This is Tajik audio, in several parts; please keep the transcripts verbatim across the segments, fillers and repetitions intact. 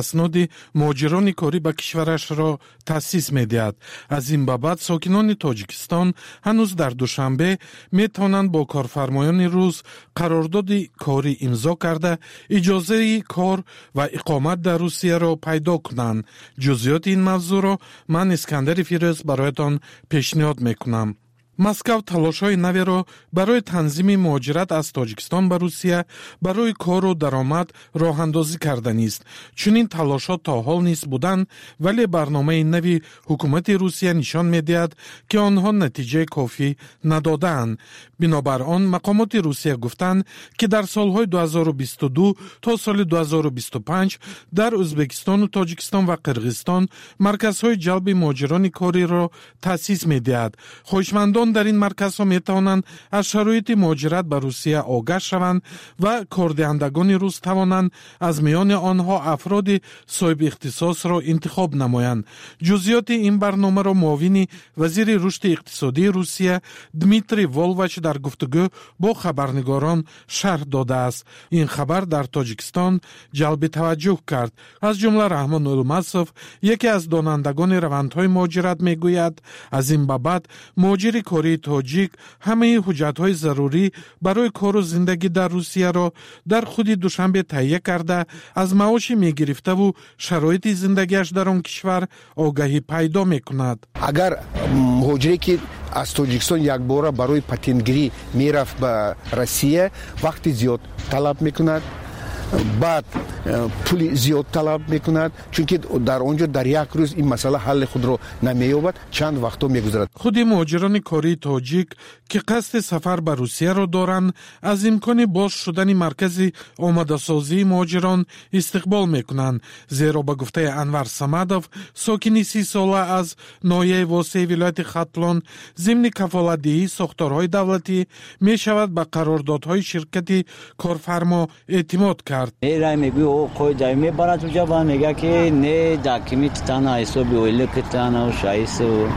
Асноди муҳоҷирони корӣ ба кишварашро таъсис медиҳад. Аз ин ба баъд сокинони Тоҷикистон ҳанӯз дар Душанбе метавонанд бо корфармоёни рус қарордоди корӣ имзо карда, иҷозаи кор ва иқомат дар Русияро пайдо кунанд. Ҷузъиёти ин мавзӯъро ман, Искандари Фирӯз, бароятон пешниҳод мекунам. Москав талошҳои наверо барои танзими муҳоҷират аз Тоҷикистон ба Русия барои кору даромад роҳандозӣ карданист. Чунин талошҳо то ҳол низ буданд, вале барномаи нави ҳукумати Русия нишон медиҳад, ки онҳо натиҷаи кофӣ надодаанд. Бинобар он мақомоти Русия гуфтанд, ки дар солҳои ду ҳазору бисту ду то соли ду ҳазору бисту панҷ дар Ӯзбекистону Тоҷикистон ва Қирғизистон марказҳои ҷалби муҳоҷирони кориро таъсис медиҳад. Хоҳишмандон дар ин марказҳо метавонанд аз шароити муҳоҷират ба Русия огаҳ шаванд ва кордиҳандагони рус тавонанд аз миёни онҳо афроди соҳиби ихтисосро интихоб намоянд. Ҷузъиёти ин барномаро муовини вазири рушди иқтисодии Русия Дмитрий Волвач дар гуфтугӯ бо хабарнигорон шарҳ додааст. Ин хабар дар Тоҷикистон ҷалби таваҷҷӯҳ кард. Аз ҷумла Раҳмон Улмасов, яке аз донандагони равандҳои муҳоҷират, мегӯяд, аз ин ба баъд муҳоҷири кории тоҷик ҳамаи ҳуҷҷатҳои зарурӣ барои кору зиндагӣ дар Русияро дар худи Душанбе таҳия карда, аз маоши мегирифтаву шароити зиндагиаш дар он кишвар огаҳӣ пайдо мекунад. Агар муҳоҷире, ки аз Тоҷикистон якбора барои патентгирӣ мерафт ба Россия, вақти зиёд талаб мекунад, баъд э, пули зиёд талаб мекунад, чунки дар он ҷо дар як рӯз ин масъала ҳалли худро намеёбад, чанд вақтҳо мегузарад. Худи муҳоҷирони кории тоҷик, ки қасди сафар ба Русияро доранд, аз имкони боз шудани маркази омодасозии муҳоҷирон истиқбол мекунанд, зеро ба гуфтаи Анвар Самадов, сокини сисола аз ноҳияи Восеи вилояти Хатлон, зимни кафолатдиҳии сохторҳои давлатӣ мешавад ба қарордодҳои ширкати корфармо эътимод кард. Мерай, мегӯи, о қоида мебарад уҷа ва мега, ки не, документитана ҳисоби ойликитана шаису.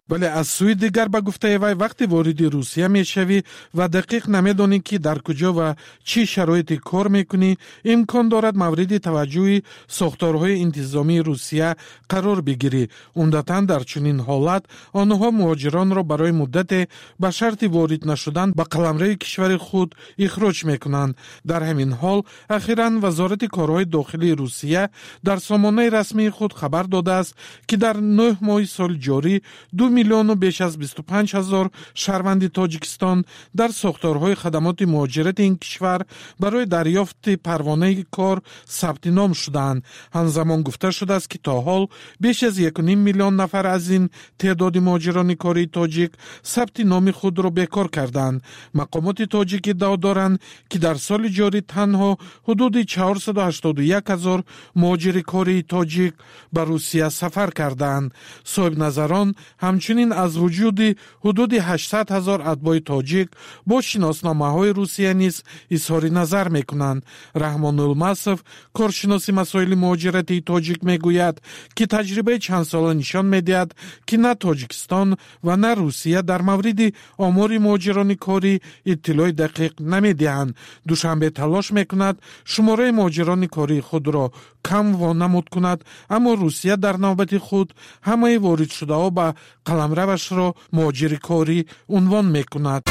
Вале аз сӯи дигар, ба гуфтаи вай, вақте вориди Русия мешавӣ ва дақиқ намедонӣ, ки дар куҷо ва чӣ шароите кор мекунӣ, имкон дорад мавриди таваҷҷӯҳи сохторҳои интизомии Русия қарор бигирӣ. Умдатан дар чунин ҳолат онҳо муҳоҷиронро барои муддате ба шарти ворид нашудан ба қаламрави кишвари худ ихроҷ мекунанд. Дар ҳамин ҳол, ахиран Вазорати корҳои дохилии Русия дар сомонаи расмии худ хабар додааст, ки дар нӯҳ моҳи соли ҷорӣ ду миллиону беш аз бисту панҷ ҳазор шаҳрванди Тоҷикистон дар сохторҳои хадамоти муҳоҷирати ин кишвар барои дарёфти парвонаи кор сабти ном шудаанд. Ҳамзамон гуфта шудааст, ки то ҳол беш аз якуним миллион нафар аз ин теъдоди муҳоҷирони кории тоҷик сабти номи худро бекор кардаанд. Мақомоти тоҷик иддао доранд, ки дар соли ҷорӣ танҳо ҳудуди чаҳорсаду ҳаштоду як ҳазор муҳоҷири кории тоҷик ба Русия сафар кардаанд. Соҳибназарон ҳамчунин аз вуҷуди ҳудуди ҳаштсад ҳазор атбои тоҷик бо шиносномаҳои Русия низ изҳори назар мекунанд. Раҳмон Улмасов, коршиноси масоили муҳоҷиратии тоҷик, мегӯяд, ки таҷрибаи чандсола нишон медиҳад, ки на Тоҷикистон ва на Русия дар мавриди омори муҳоҷирони корӣ иттилои дақиқ намедиҳанд. Душанбе талош мекунад шумораи муҳоҷирони кории худро кам вонамуд кунад, аммо Русия дар навбати худ ҳамаи воридшудаҳо ба қаламравашро муҳоҷири корӣ унвон мекунад.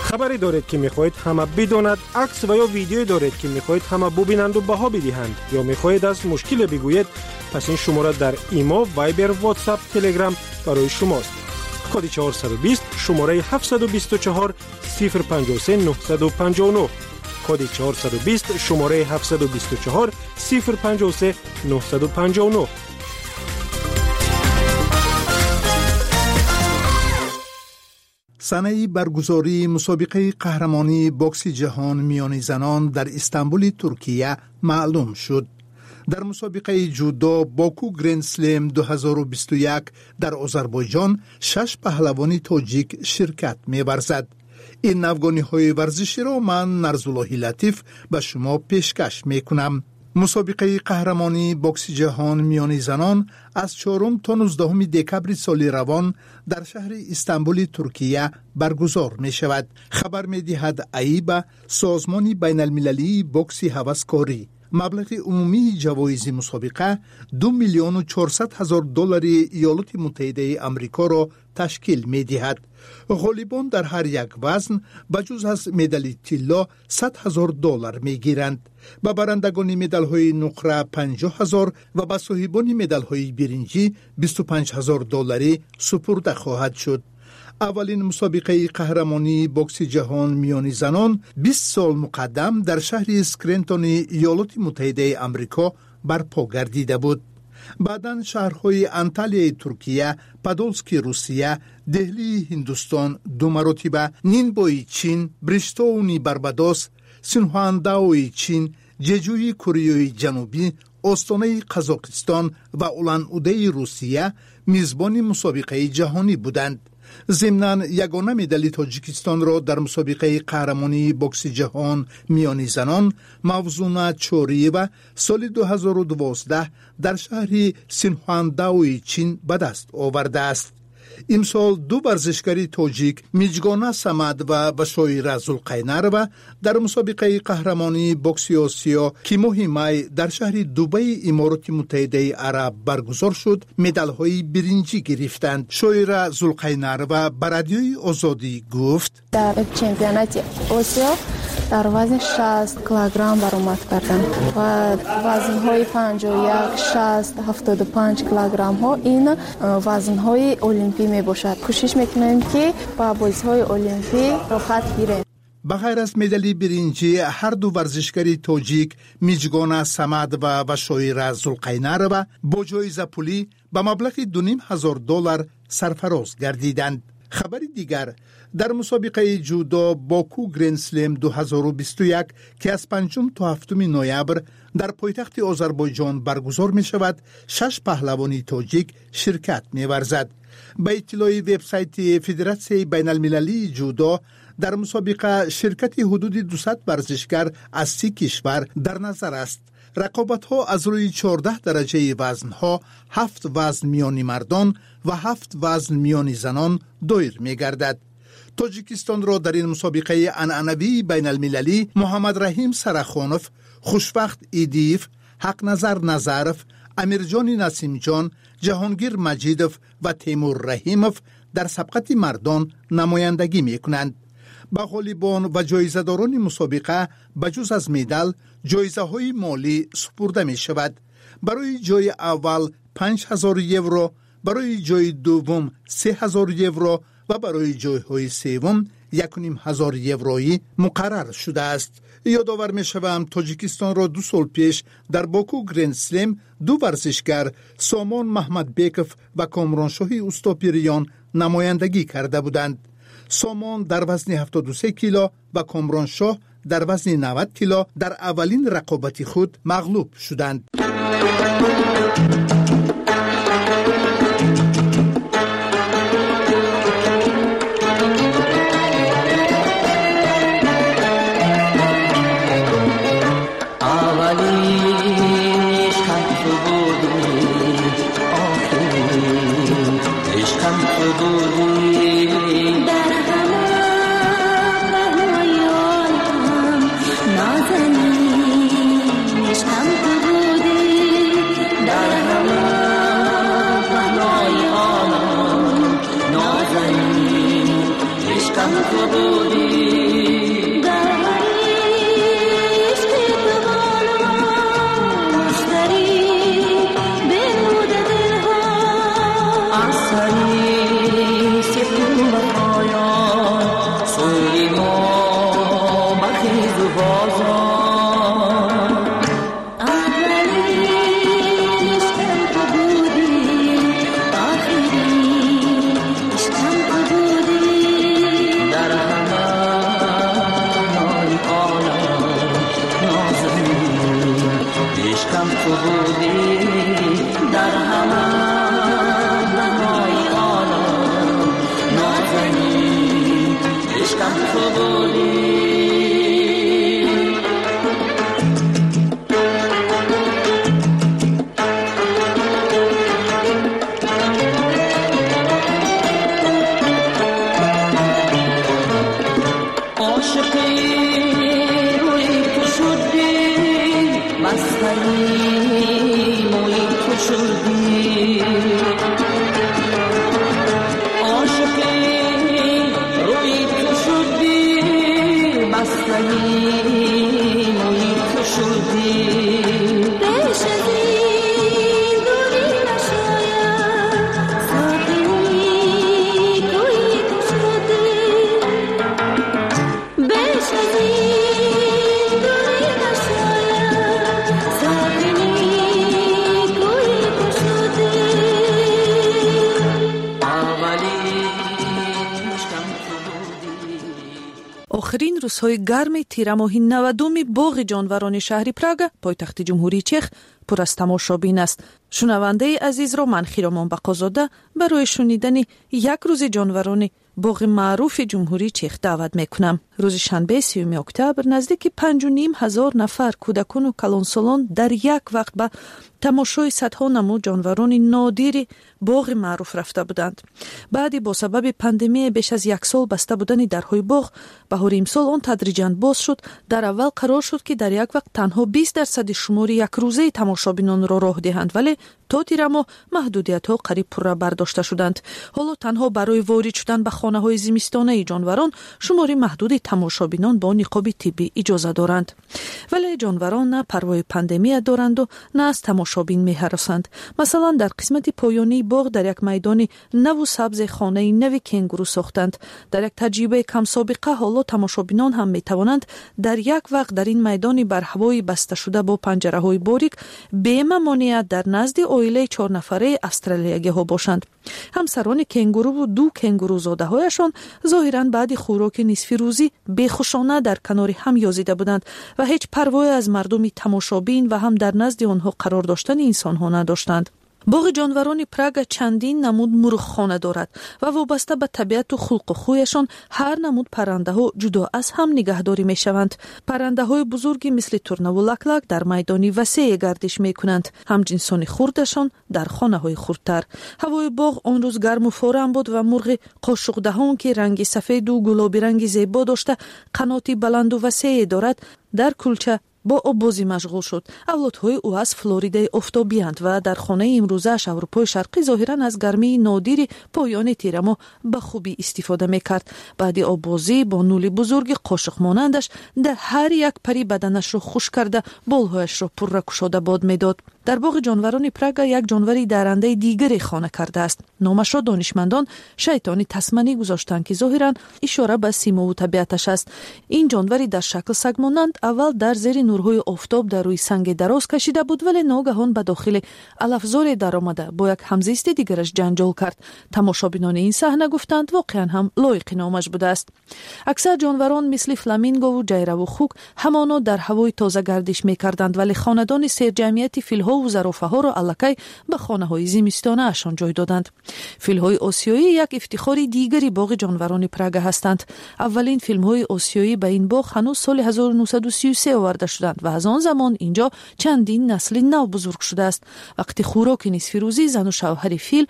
Хабаре доред, ки мехоҳед ҳама бидонад? Акс ва ё видеое доред, ки мехоҳед ҳама бубинанду баҳо бидиҳанд, ё мехоҳед аз мушкиле бигӯед? Пас ин шумора дар Имо, Вайбер, Ватсап, Телеграм барои шумост. Коди чорсаду бист, шумораи ҳафтсаду бисту чор сифр панҷоҳу се нӯҳсаду панҷоҳу нӯҳ. Коди чорсаду бист, шумораи ҳафтсаду бисту чор сифр панҷоҳу се нӯҳсаду панҷоҳу нӯҳ. Санаи баргузории мусобиқаи қаҳрамонии бокси ҷаҳон миёни занон дар Истанбули Туркия маълум шуд. Дар мусобиқаи ҷудо Боку Грендслем ду ҳазору бисту як дар Озарбойҷон шаш паҳлавони тоҷик ширкат меварзад. Ин навгониҳои варзиширо ман, Нарзуллоҳи Латиф, ба шумо пешкаш мекунам. Мусобиқаи қаҳрамонии бокси ҷаҳон миёни занон аз чорум то нуздаҳуми декабри соли равон дар шаҳри Истанбули Туркия баргузор мешавад. Хабар медиҳад АИБА, созмони байналмилалии бокси ҳаваскорӣ. Маблағи умумии ҷавоизи мусобиқа ду миллиону чорсад ҳазор доллари Иёлоти Муттаҳидаи Амрикоро ташкил медиҳад. Ғолибон дар ҳар як вазн ба ҷуз аз медали тилло сад ҳазор доллар мегиранд. Ба барандагони медалҳои нуқра панҷоҳ ҳазор ва ба соҳибони медалҳои биринҷӣ бисту панҷ ҳазор долларӣ супурда хоҳад шуд. Аввалин мусобиқаи қаҳрамонии бокси ҷаҳон миёни занон бист сол муқаддам дар шаҳри Скрентони Иёлоти Муттаҳидаи Амрико барпо гардида буд. Баъдан шаҳрҳои Анталияи Туркия, Падолски Русия, Деҳлии Ҳиндустон ду маротиба, Нинбои Чин, Бриштоуни Барбадос, Синхуандаои Чин, Ҷеҷӯи Кореяи Ҷанубӣ, Остонаи Қазоқистон ва Улан-Удэи Русия мизбони мусобиқаи ҷаҳонӣ буданд. Зимнан ягона медали Тоҷикистонро дар мусобиқаи қаҳрамонии бокси ҷаҳон миёни занон Мавзуна Чориева соли ду ҳазору дувоздаҳ дар шаҳри Синхуандаои Чин ба даст овардааст. Имсол ду варзишгари тоҷик Миҷгона Самадова ва Шоира Зулқайнарова дар мусобиқаи қаҳрамонии бокси Осиё, ки моҳи май дар шаҳри Дубаи Имороти Муттаҳидаи Араб баргузор шуд, медалҳои биринҷӣ гирифтанд. Шоира Зулқайнарова ба Радиои Озодӣ гуфт: дар чемпионати Осиё дар вазни шаст килограмм баромад кардам ва вазнҳои панҷоҳу як, шаст, ҳафтоду панҷ килограммҳо ин вазнҳои олимпӣ мебошад. Кӯшиш мекунем, ки ба бозиҳои олимпӣ роҳат гирем. Ба ғайр аз медали биринҷӣ ҳар ду варзишгари тоҷик Миҷгона Самадова ва Шоира Зулқайнарова бо ҷоизапулӣ ба маблағи ду ним ҳазор доллар сарфароз гардиданд. Хабари дигар: дар мусобиқаи ҷудо Боку Гренслем ду ҳазору бисту як, ки аз панҷум то ҳафтуми ноябр дар пойтахти Озарбойҷон баргузор мешавад, шаш паҳлавони тоҷик ширкат меварзад. Ба иттилои вебсайти Федератсияи байналмилалии ҷудо, дар мусобиқа ширкати ҳудуди дусад варзишгар аз си кишвар дар назар аст. Рақобатҳо аз рӯи чордаҳ дараҷаи вазнҳо, ҳафт вазн миёни мардон ва ҳафт вазн миёни занон доир мегардад. Тоҷикистонро дар ин мусобиқаи анъанавии байналмилалӣ Муҳаммадраҳим Сарахонов, Хушбахт Идиев, Ҳақназар Назаров, Амирҷони Насимҷон, Ҷаҳонгир Маҷидов ва Темур Раҳимов дар сабқати мардон намояндагӣ мекунанд. Ба ғолибон ва ҷоизадорони мусобиқа ба ҷуз аз медал ҷоизаҳои молӣ супурда мешавад. Барои ҷои аввал панҷ ҳазор евро, барои ҷои дуввум се ҳазор евро ва барои ҷойҳои севум яку ним ҳазор евроӣ муқаррар шудааст. Ёдовар мешавам, Тоҷикистонро ду сол пеш дар Боку Грендслем ду варзишгар Сомон Маҳмадбеков ва Комроншоҳи Устопириён намояндагӣ карда буданд. Сомон дар вазни ҳафтоду се кило ва Комроншоҳ дар вазни навад кило дар аввалин рақобати худ мағлуб шуданд. Рӯзҳои гарми тирамоҳи навадуми боғи ҷонварони шаҳри Прага, пойтахти Ҷумҳурии Чех, пур аз тамошобин аст. Шунавандаи азизро ман, Хиромон Бақозода, барои шунидани як рӯзи ҷонварони боғи маъруфи Ҷумҳурии Чех даъват мекунам. Рӯзи шанбе, сиюми октябр, наздики панҷу ним ҳазор нафар кӯдакону калонсолон дар як вақт ба тамошои садҳо намуд ҷонварони нодири боғи маъруф рафта буданд. Баъди бо сабаби пандемия беш аз як сол баста будани дарҳои боғ, баҳори имсол он тадриҷан боз шуд. Дар аввал қарор шуд, ки дар як вақт танҳо бист дарсади шумори якрӯзаи тамошобинонро роҳ диҳанд, вале то тирамоҳ маҳдудиятҳо қариб пурра бардошта шуданд. Ҳоло танҳо барои ворид шудан ба хонаҳои зимистонаи ҷонварон шумори маҳдуди тамошобинон бо ниқоби тиббӣ иҷоза доранд. Вале ҷонварон на парвои пандемия доранду, на аз тамошобин меҳаросанд. Масалан, дар қисмати поёнии боғ дар як майдони наву сабзе хонаи нави кенгуру сохтанд. Дар як таҷрибаи камсобиқа ҳоло тамошобинон ҳам метавонанд дар як вақт дар ин майдони барҳавои басташуда бо панҷараҳои борик бемамоният дар назди оилаи чорнафараи австралиягиҳо бошанд. Ҳамсарони кенгуруву ду кенгурузодаҳояшон зоҳиран баъди хӯроки нисфирӯзӣ бехушона дар канори ҳам ёзида буданд ва ҳеҷ парвое аз мардуми тамошобин ва ҳам дар назди онҳо қарор доштани инсонҳо надоштанд. Боғи ҷонварони Прага чандин намуд мурғхона дорад ва вобаста ба табиату хулқу хӯяшон ҳар намуд паррандаҳо ҷудо аз ҳам нигаҳдорӣ мешаванд. Паррандаҳои бузурги мисли турнаву лаклак дар майдони васее гардиш мекунанд, ҳамҷинсони хурдашон дар хонаҳои хурдтар. Ҳавои боғ он рӯз гарму форам буд ва мурғи қошуқдаҳон, ки ранги сафеду гулобиранги зебо дошта, қаноти баланду васее дорад, дар кулча бо оббозӣ машғул шуд. Авлодҳои ӯ аз Флоридаи офтобиянд ва дар хонаи имрӯзааш Аврупои Шарқӣ зоҳиран аз гармии нодири поёни тирамоҳ ба хубӣ истифода мекард. Баъди оббозӣ бо нули бузурги қошуқмонандаш дар ҳар як пари баданашро хушк карда, болҳояшро пурра кушода бод медод. Дар боғи ҷонварони Прага як ҷонвари дарандаи дигаре хона кардааст. Номашро донишмандон шайтони тасманӣ гузоштанд, ки зоҳиран ишора ба симову табиаташ аст. Ин ҷонвари дар шакл сагмонанд аввал дар зери нурҳои офтоб дар рӯи санге дароз кашида буд, вале ногаҳон ба дохили алафзоре даромада бо як ҳамзисти дигараш ҷанҷол кард. Тамошобинони ин саҳна гуфтанд, воқеан ҳам лоиқи номаш будааст. Аксар ҷонварон мисли фламингову ҷайраву хук ҳамоно дар ҳавои тоза гардиш мекарданд, вале хонадони серҷамъияти филҳо ва зарофаҳоро аллакай ба хонаҳои зимистонаашон ҷой доданд. Филҳои осиёӣ як ифтихори дигари боғи ҷонварони Прага ҳастанд. Аввалин филмҳои осиёӣ ба ин боғ ҳанӯз соли ҳазору нӯҳсаду сию се оварда шуданд ва аз он замон инҷо чандин насли нав бузург шудааст. Вақти хӯроки нисфирӯзӣ зану шавҳари фил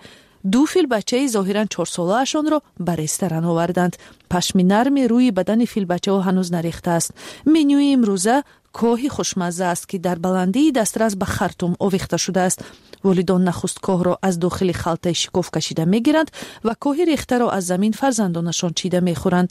ду филбачаи зоҳиран чорсолаашонро ба ресторан оварданд. Пашми нарми рӯи бадани филбачаҳо ҳанӯз нарехтааст. Менюи имрӯза коҳи хушмазза аст, ки дар баландии дастрас ба хартум овехта шудааст. Волидон нахуст коҳро аз дохили халтаи шикоф кашида мегиранд ва коҳи рехтаро аз замин фарзандонашон чида мехӯранд.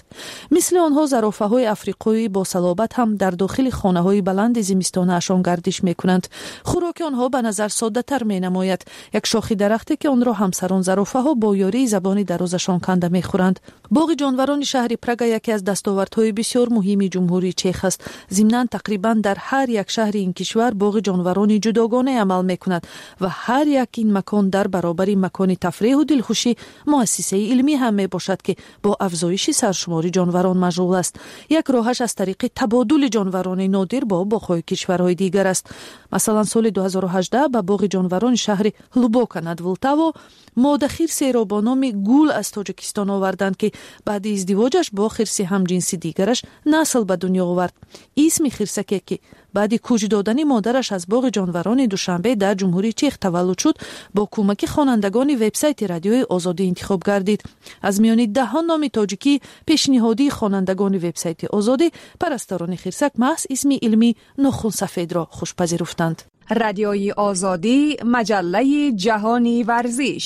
Мисли онҳо зарофаҳои африқоӣ бо салобат ҳам дар дохили хонаҳои баланди зимистонаашон гардиш мекунанд. Хӯроки онҳо ба назар соддатар менамояд. Як шохи дарахте, ки онро ҳамсарон зарофаҳо бо ёрии забони дарозашон канда мехӯранд. Боғи ҷонварони шаҳри Прага яке аз дастовардҳои бисёр муҳими Ҷумҳурии Чех аст. Зимнан тақрибан дар ҳар як шаҳри ин кишвар боғи ҷонварони ҷудогона амал мекунад ва ҳар як ин макон дар баробари макони тафреҳу дилхушӣ муассисаи илмӣ ҳам мебошад, ки бо афзоиши саршумори ҷонварон машғул аст. Як роҳаш аз тариқи табодули ҷонварони нодир бо боғҳои кишварҳои дигар аст. Масалан, соли ду ҳазору ҳаждаҳ ба боғи ҷонварони шаҳри Ҳлубока над Влтаво мода хирсеро бо номи Гул аз Тоҷикистон оварданд, ки баъди издивоҷаш бо хирси ҳамҷинси дигараш насл ба дунё овард. Исми хирсаке, ки баъди кӯч додани модараш аз боғи ҷонварони Душанбе дар Ҷумҳурии Чех таваллуд шуд, бо кӯмаки хонандагони вебсайти Радиои Озодӣ интихоб гардид. Аз миёни даҳон номи тоҷикӣ пешниҳодии хонандагони вебсайти Озодӣ парасторони хирсак маҳз исми илмӣ нохунсафедро хушпазируфтанд. Радиои Озодӣ, маҷаллаи ҷаҳони варзиш.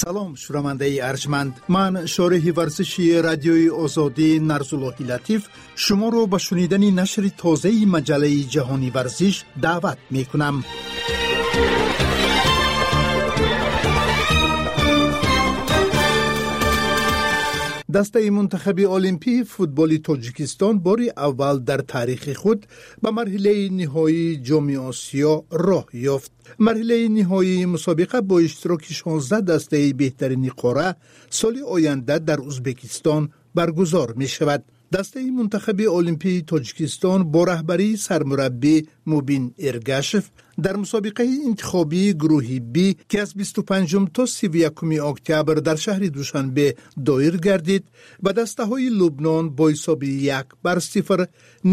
Салом, шунавандаи арҷманд. Ман, шореҳи варзиши Радиои Озодӣ Нарзуллоҳи Латиф, шуморо ба шунидани нашри тозаи маҷаллаи ҷаҳони варзиш даъват мекунам. Дастаи мунтахаби олимпии футболи Тоҷикистон бори аввал дар таърихи худ ба марҳилаи ниҳоии Ҷоми Осиё роҳ ёфт. Марҳилаи ниҳоии мусобиқа бо иштироки шонздаҳ дастаи беҳтарини қора соли оянда дар Узбекистон баргузор мешавад. Дастаи мунтахаби олимпии Тоҷикистон бо раҳбарии сармураббӣ Мубин Эргашев дар мусобиқаи интихобии гурӯҳи Б, ки аз бисту панҷум то сиву якуми октябр дар шаҳри Душанбе доир гардид, ба дастаҳои Лубнон бо ҳисоби як бар сифр,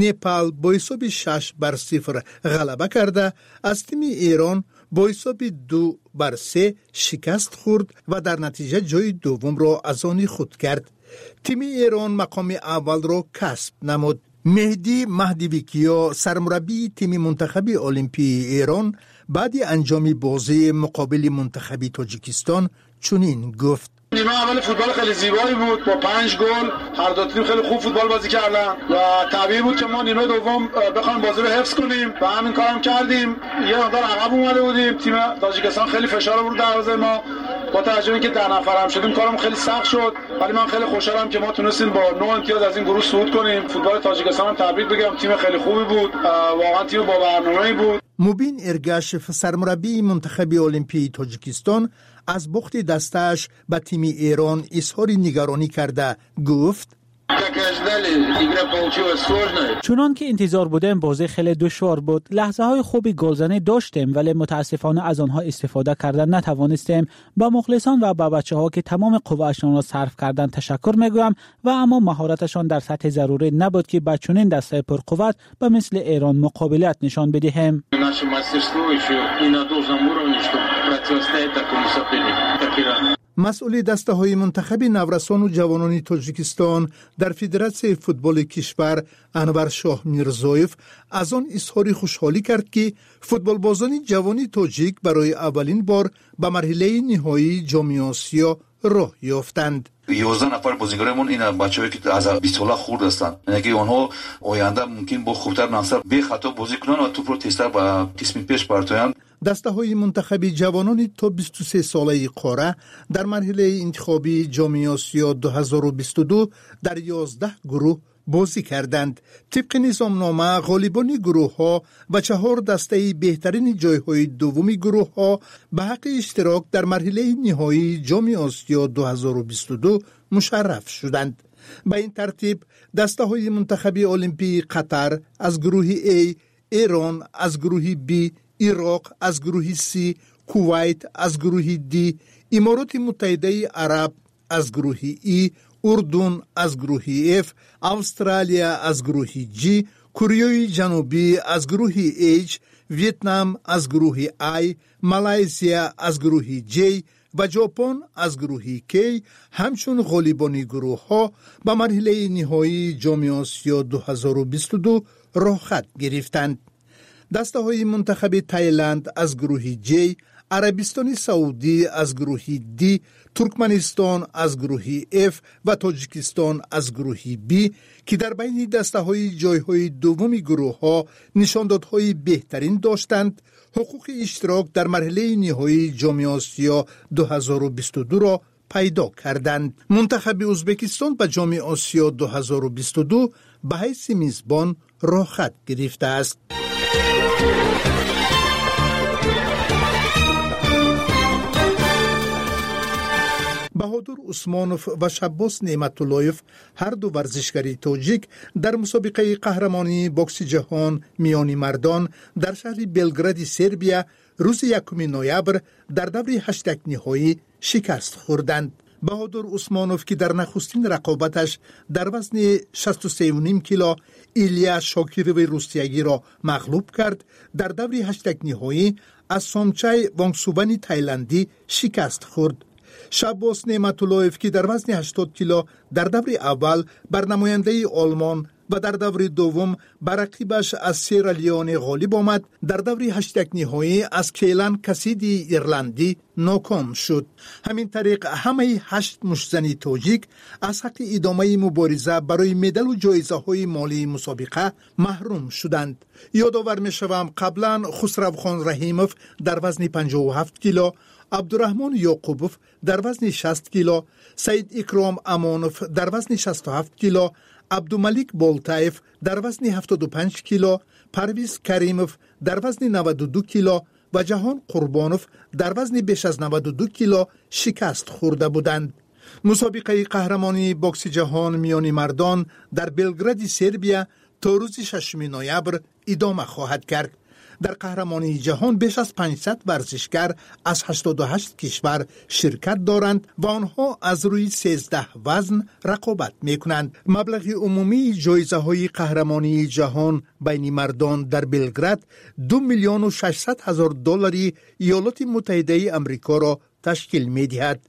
Непал бо ҳисоби шаш бар сифр ғалаба карда, аз тими Эрон бо ҳисоби ду бар се шикаст хӯрд ва дар натиҷа ҷои дуввумро аз они худ кард. Тими Эрон мақоми аввалро касб намуд. Меҳдӣ Маҳдивикиё, сармураббии тими мунтахаби олимпии Эрон, баъди анҷоми бозии муқобили мунтахаби Тоҷикистон чунин гуфт: نیمه اول فوتبال خیلی زیبایی بود با پنج گل، هر دو تیم خیلی خوب فوتبال بازی کردن و طبیعی بود که ما نیمه دوم بخوایم بازی رو حفظ کنیم و همین کارم کردیم. یه مقدار عقب اومده بودیم، تیم تاجیکستان خیلی فشار آورد دروازه ما. با توجه به اینکه ده نفر هم شدیم کارم خیلی سخت شد، ولی من خیلی خوشحالم که ما تونستیم با نه امتیاز از این گروه صعود کنیم. فوتبال تاجیکستان هم تبریک بگم، تیم خیلی خوبی بود، واقعا تیم با برنامه‌ای بود. Мубин Эргашев, сармураббии мунтахаби олимпии Тоҷикистон, аз бохти дастааш ба тими Эрон изҳори нигаронӣ карда гуфт: чунон ки интизор будем, бозӣ хеле душвор буд. Лаҳзаҳои хуби голзанӣ доштем, вале мутаассифона аз онҳо истифода карда натавонистем. Ба мухлисон ва ба бачаҳо, ки тамоми қувваашонро сарф карданд, ташаккур мегӯям ва аммо маҳораташон дар сатҳи зарурӣ набуд, ки ба чунин дастаи пурқувват ба мисли Эрон муқобилат нишон бидиҳем. Масъули дастаҳои мунтахаби наврасону ҷавонони Тоҷикистон дар Федератсияи футболи кишвар Анваршоҳ Мирзоев аз он изҳори хушҳолӣ кард, ки футболбозони ҷавони тоҷик барои аввалин бор ба марҳилаи ниҳоии Ҷоми Осиё роҳ ёфтанд. Ёздаҳ нафар бозигарони ин бачаҳое ки аз бист сола хурд ҳастанд, яъне ки онҳо оянда мумкин бо хубтар насар бехато бозӣ кунанд ва тӯпро тезтар ба қисми пеш партоянд. Дастаҳои мунтахаби ҷавонони то бисту се солаи қора дар марҳилаи интихобии Ҷоми Осиё ду ҳазору бисту ду дар ёздаҳ гурӯҳ бозӣ карданд. Тибқи низомнома, ғолибони гурӯҳҳо ва чаҳор дастаи беҳтарини ҷойҳои дуввуми гурӯҳҳо ба ҳаққи иштирок дар марҳилаи ниҳоии Ҷоми Осиё ду ҳазору бисту ду мушарраф шуданд. Ба ин тартиб, дастаҳои мунтахаби олимпии Қатар аз гурӯҳи А, Эрон аз гурӯҳи Б, Ироқ аз гурӯҳи С, Кувайт аз гурӯҳи Д, Имороти Муттаҳидаи Араб аз гурӯҳи И, Урдун аз гурӯҳи Ф, Австралия аз гурӯҳи Ҷ, Кореяи Ҷанубӣ аз гурӯҳи H, Вьетнам аз гурӯҳи I, Малайзия аз гурӯҳи Ҷ ва Ҷопон аз гурӯҳи К ҳамчун ғолибони гурӯҳҳо ба марҳилаи ниҳоии Ҷоми Осиё ду ҳазору бисту ду роҳхат гирифтанд. Дастаҳои мунтахаби Таиланд аз гурӯҳи Ҷ, Арабистони Саудӣ аз гурӯҳи Д, Туркманистон аз гурӯҳи Ф ва Тоҷикистон аз гурӯҳи Б, ки дар байни дастаҳои ҷойҳои дуввуми гурӯҳҳо нишондодҳои беҳтарин доштанд, ҳуқуқи иштирок дар марҳилаи ниҳоии Ҷоми Осиё ду ҳазору бисту дуро пайдо карданд. Мунтахаби Узбекистон ба Ҷоми Осиё ду ҳазору бисту ду ба ҳайси мизбон роҳхат гирифтааст. Баҳодур Усмонов ва Шаббос Неъматуллоев, ҳар ду варзишгари тоҷик, дар мусобиқаи қаҳрамонии бокси ҷаҳон миёни мардон дар шаҳри Белгради Сербия рӯзи якуми ноябр дар даври ҳаштякниҳоӣ шикаст хӯрданд. Баҳодур Усмонов, ки дар нахустин рақобаташ дар вазни шасту севу ним кило Илия Шокирови русиягиро мағлуб кард, дар даври ҳаштякниҳоӣ аз Сомчай Вонгсувани тайландӣ шикаст хӯрд. Шаббос Неъматуллоев, ки дар вазни ҳаштод кило дар даври аввал бар намояндаи Олмон ва дар даври дуввум ба рақибаш аз Сера Леоне ғолиб омад, дар даври ҳаштякниҳоӣ аз Кейлан Касидии ирландӣ ноком шуд. Ҳамин тариқ, ҳамаи ҳашт муштзани тоҷик аз ҳаққи идомаи мубориза барои медалу ҷоизаҳои молии мусобиқа маҳрум шуданд. Ёдовар мешавам, қаблан Хусравхон Раҳимов дар вазни панҷоҳу ҳафт кило, Абдураҳмон Ёқубов дар вазни шаст кило, Саид Икром Амонов дар вазни шасту ҳафт кило, Абдумалик Болтаев дар вазни ҳафтоду панҷ кило, Парвиз Каримов дар вазни наваду ду кило ва Ҷаҳон Қурбонов дар вазни беш аз наваду ду кило шикаст хӯрда буданд. Мусобиқаи қаҳрамонии бокси ҷаҳон миёни мардон дар Белгради Сербия то рӯзи шашуми ноябр идома хоҳад кард. Дар қаҳрамонии ҷаҳон беш аз панҷсад варзишгар аз ҳаштоду ҳашт кишвар ширкат доранд ва онҳо аз рӯи сездаҳ вазн рақобат мекунанд. Маблағи умумии ҷоизаҳои қаҳрамонии ҷаҳон байни мардон дар Белград ду миллиону шашсад ҳазор доллари Иёлоти Муттаҳидаи Амрикоро ташкил медиҳад.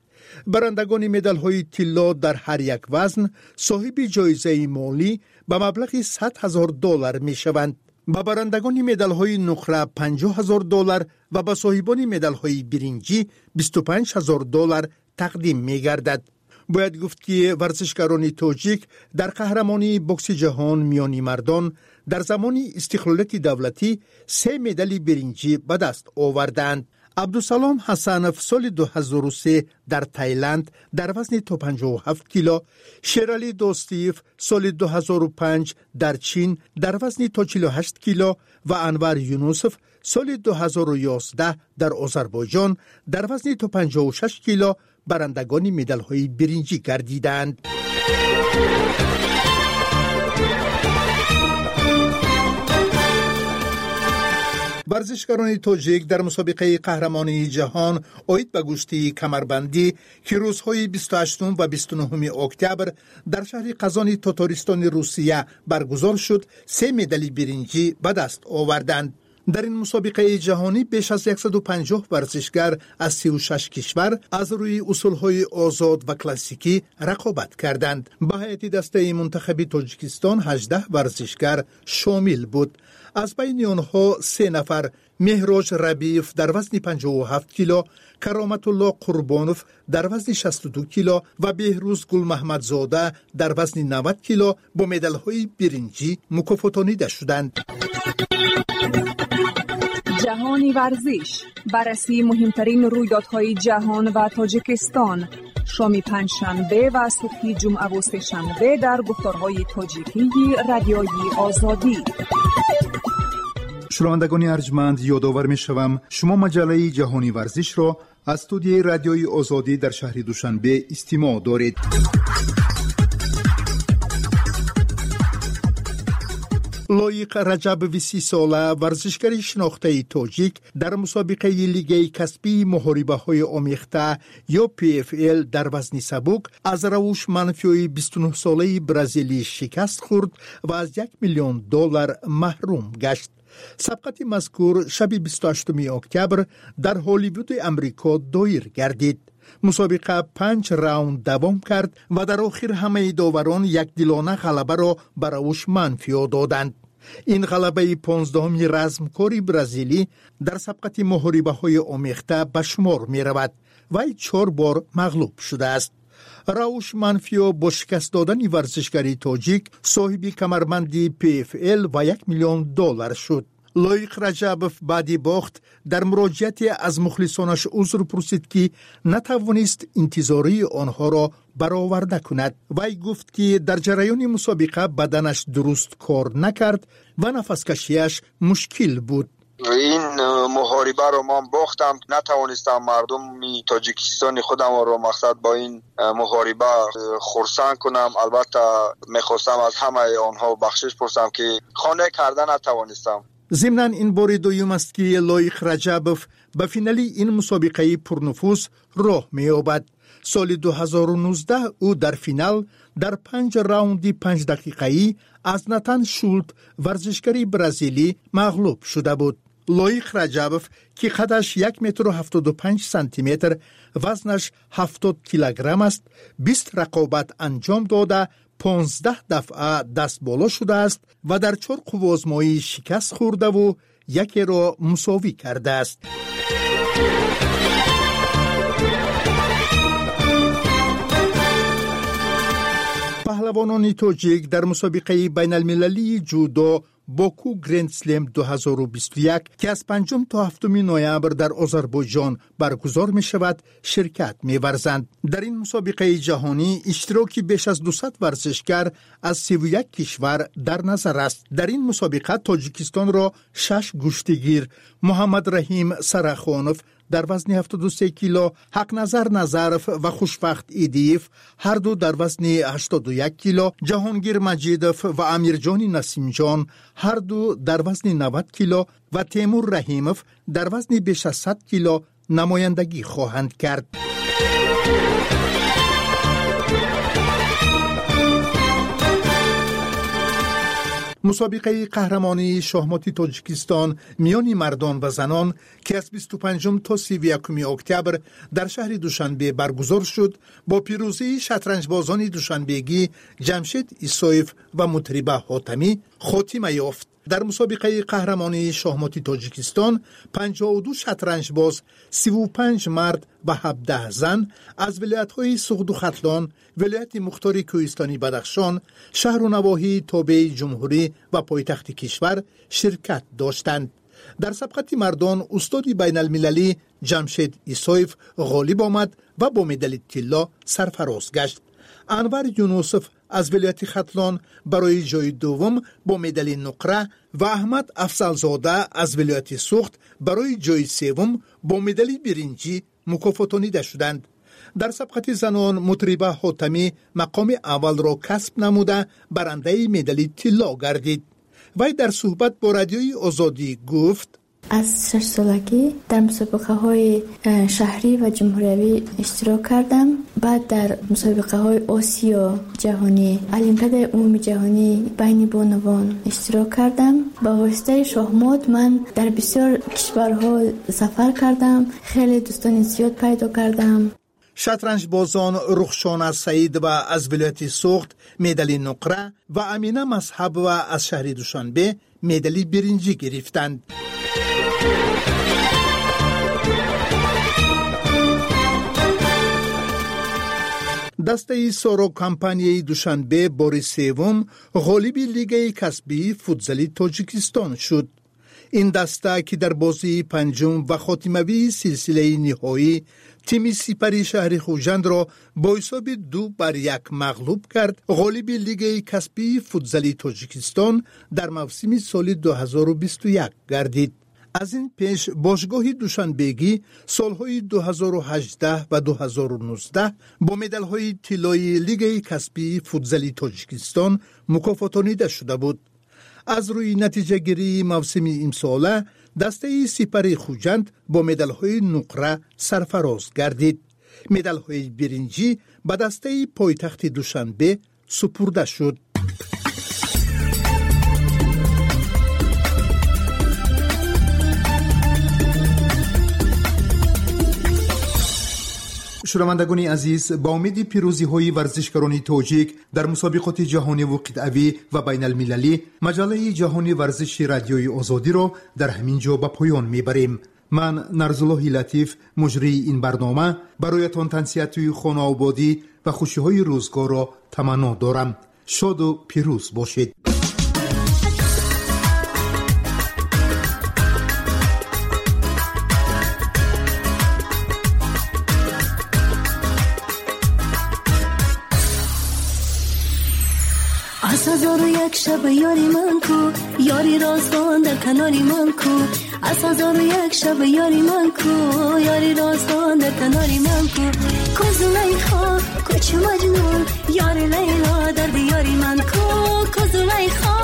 Барандагони медалҳои тилло дар ҳар як вазн соҳиби ҷоизаи молӣ ба маблағи сад ҳазор доллар мешаванд. Ба барандагони медалҳои нуқра панҷоҳ ҳазор доллар ва ба соҳибони медалҳои биринҷӣ бисту панҷ ҳазор доллар тақдим мегардад. Бояд гуфт, ки варзишгарони тоҷик дар қаҳрамонии бокси ҷаҳон миёни мардон дар замони истиқлолияти давлатӣ се медали биринҷӣ ба даст овардаанд. Абдусалом Ҳасанов соли ду ҳазору се дар Таиланд дар вазни то панҷоҳу ҳафт кило, Шералӣ Достиев соли ду ҳазору панҷ дар Чин дар вазни то чилу ҳашт кило ва Анвар Юнусов соли ду ҳазору ёздаҳ дар Озарбойҷон дар вазни то панҷоҳу шаш кило барандагони медалҳои биринҷӣ гардиданд. Варзишгарони тоҷик дар мусобиқаи қаҳрамонии ҷаҳон оид ба гӯштии камарбандӣ, ки рӯзҳои бисту ҳаштум ва бисту нуҳуми октябр дар шаҳри Қазони Тотористони Русия баргузор шуд, се медали биринҷӣ ба даст оварданд. Дар ин мусобиқаи ҷаҳонӣ беш аз яксаду панҷоҳ варзишгар аз сию шаш кишвар аз рӯи усулҳои озод ва классикӣ рақобат карданд. Ба ҳайати дастаи мунтахаби Тоҷикистон ҳаждаҳ варзишгар шомил буд. Аз байни онҳо се нафар Меҳроҷ Рабиев дар вазни панҷоҳу ҳафт кило, Кароматулло Қурбонов дар вазни шасту ду кило ва Беҳрӯз Гулмаҳмадзода дар вазни навад кило бо медалҳои биринҷӣ мукофотонида шуданд. Ҷаҳони варзиш, баррасии муҳимтарин рӯйдодҳои ҷаҳон ва Тоҷикистон, шоми панҷшанбе ва субҳи ҷумъаву сешанбе дар гуфторҳои тоҷикии Радиои Озодӣ. Шунавандагони арҷманд, ёдовар мешавам, шумо маҷаллаи ҷаҳони варзишро аз студияи Радиои Озодӣ дар шаҳри Душанбе истимоъ доред. Лоиқ Раҷабови сисола, варзишгари шинохтаи тоҷик, дар мусобиқаи лигаи касбии муҳорибаҳои омехта ё Пи Эф Эл дар вазни сабук аз равуш манфиёи бисту нӯҳсолаи бразилӣ шикаст хӯрд ва аз як миллион доллар маҳрум гашт. Сабқати мазкур шаби бисту ҳаштуми октябр дар Ҳолливуди Амрико доир гардид. Мусобиқа панҷ раунд давом кард ва дар охир ҳамаи доварон якдилона ғалабаро ба равуш манфиё доданд. Ин ғалабаи понздаҳуми размкори бразилӣ дар сабқати муҳорибаҳои омехта ба шумор меравад. Вай чор бор мағлуб шудааст. Рауш Манфио бо шикаст додани варзишгари тоҷик соҳиби камарбанди Пи Эф Эл ва як миллион доллар шуд. Лоиқ Раҷабов баъди бохт дар муроҷиате аз мухлисонаш узр пурсид, ки натавонист интизории онҳоро бароварда кунад. Вай гуфт, ки дар ҷараёни мусобиқа баданаш дуруст кор накард ва нафаскашиаш мушкил буд. Ин муҳорибаро ман бохтам, натавонистам мардуми Тоҷикистони худамро мақсад бо ин муҳориба хурсанд кунам. Албатта мехостам аз ҳамаи онҳо бахшиш пурсам, ки хона карда натавонистам. Зимнан ин бори дуюм аст, ки Лоиқ Раҷабов ба финали ин мусобиқаи пурнуфуз роҳ меёбад. Соли ду ҳазору нуздаҳ ӯ дар финал дар панҷ раунди панҷдақиқаӣ аз Натан Шулт, варзишгари бразилӣ, мағлуб шуда буд. Лоиқ Раҷабов, ки қадаш як метру ҳафтоду панҷ сантиметр, вазнаш ҳафтод килограмм аст, бист рақобат анҷом дода, понздаҳ дафъа дастболо шудааст ва дар чор қувваозмоӣ шикаст хӯрдаву якеро мусовӣ кардааст. Паҳлавонони тоҷик дар мусобиқаи байналмилалии ҷудо Боку Гранд Слем ду ҳазору бисту як, ки аз панҷум то ҳафтуми ноябр дар Озарбойҷон баргузор мешавад, ширкат меварзанд. Дар ин мусобиқаи ҷаҳонӣ иштироки беш аз дусад варзишгар аз сиву як кишвар дар назар аст. Дар ин мусобиқа Тоҷикистонро шаш гӯштигир: Муҳаммадраҳим Сарахонов дар вазни ҳафтоду се кило, Ҳақназар Назаров ва Хушбахт Идиев, ҳарду дар вазни ҳаштоду як кило, Ҷаҳонгир Маҷидов ва Амирҷони Насимҷон, ҳарду дар вазни навад кило, ва Темур Раҳимов дар вазни беш аз сад кило намояндагӣ хоҳанд кард. Мусобиқаи қаҳрамонии шоҳмоти Тоҷикистон миёни мардон ва занон, ки аз бисту панҷум то сиву якуми октябр дар шаҳри Душанбе баргузор шуд, бо пирӯзии шатранҷбозони душанбегӣ Ҷамшед Исоев ва Мутриба Ҳотамӣ хотима ёфт. Дар мусобиқаи қаҳрамонии шоҳмоти Тоҷикистон панҷоҳу ду шатранҷбоз, сиву панҷ мард ва ҳабдаҳ зан, аз вилоятҳои Суғду Хатлон, Вилояти Мухтори Кӯҳистони Бадахшон, шаҳру навоҳии тобеи ҷумҳурӣ ва пойтахти кишвар ширкат доштанд. Дар сабқати мардон устоди байналмилалӣ Ҷамшед Исоев ғолиб омад ва бо медали тилло сарфароз гашт. Анвар Юнусов аз вилояти Хатлон барои ҷои дуввум бо медали нуқра ва Аҳмад Афзалзода аз вилояти Суғд барои ҷои севум бо медали биринҷӣ мукофотонида шуданд. Дар сабқати занон Мутриба Ҳотамӣ мақоми аввалро касб намуда, барандаи медали тилло гардид. Вай дар суҳбат бо Радиои Озодӣ гуфт: Аз шашсолагӣ дар мусобиқаҳои э, шаҳрӣ ва ҷумҳуриявӣ иштирок кардам. Баъд дар мусобиқаҳои Осиё, ҷаҳонӣ, Олимпиадаи умумиҷаҳонӣ байни бонувон иштирок кардам. Ба воситаи шоҳмот ман дар бисёр кишварҳо сафар кардам, хеле дӯстони зиёд пайдо кардам. Шатранҷбозон Рухшона Саидова аз вилояти Суғд медали нуқра ва Амина Мазҳабова аз шаҳри Душанбе медали биринҷӣ гирифтанд. Дастаи Соро компанияи Душанбе бори севум ғолиби лигаи касбии футзали Тоҷикистон шуд. Ин даста, ки дар бозии панҷум ва хотимавии силсилаи ниҳоӣ тими Сипари шаҳри Хуҷандро бо ҳисоби ду бар як мағлуб кард, ғолиби лигаи касбии футзали Тоҷикистон дар мавсими соли ду ҳазору бисту як гардид. Аз ин пеш бошгоҳи душанбегӣ солҳои ду ҳазору ҳаждаҳ ва ду ҳазору нуздаҳ бо медалҳои тиллои лигаи касбии футзали Тоҷикистон мукофотонида шуда буд. Аз рӯи натиҷагирии мавсими имсола дастаи Сипари Хуҷанд бо медалҳои нуқра сарфароз гардид. Медалҳои биринҷӣ ба дастаи пойтахти Душанбе супурда шуд. Шунавандагони азиз, ба умеди пирӯзиҳои варзишгарони тоҷик дар мусобиқоти ҷаҳониву қитъавӣ ва байналмилалӣ, маҷаллаи ҷаҳони варзиши Радиои Озодиро дар ҳамин ҷо ба поён мебарем. Ман, Нарзуллоҳи Латиф, муҷрии ин барнома, бароятон тансиҳатии хонаободӣ ва хушиҳои рӯзгорро таманно дорам. Шоду пирӯз бошед. Аз ҳазору як шаб ёри ман ку, ёри роздон дар канори ман ку? Аз ҳазору як шаб ёри ман ку, ёри роздон дар канори ман ку? Ку Зулайхо, ку чу Маҷнун, ёри Лайло дар диёри ман ку? Ку Зулайхо,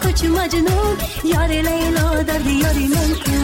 ку чу Маҷнун, ёри Лайло дар диёри ман ку?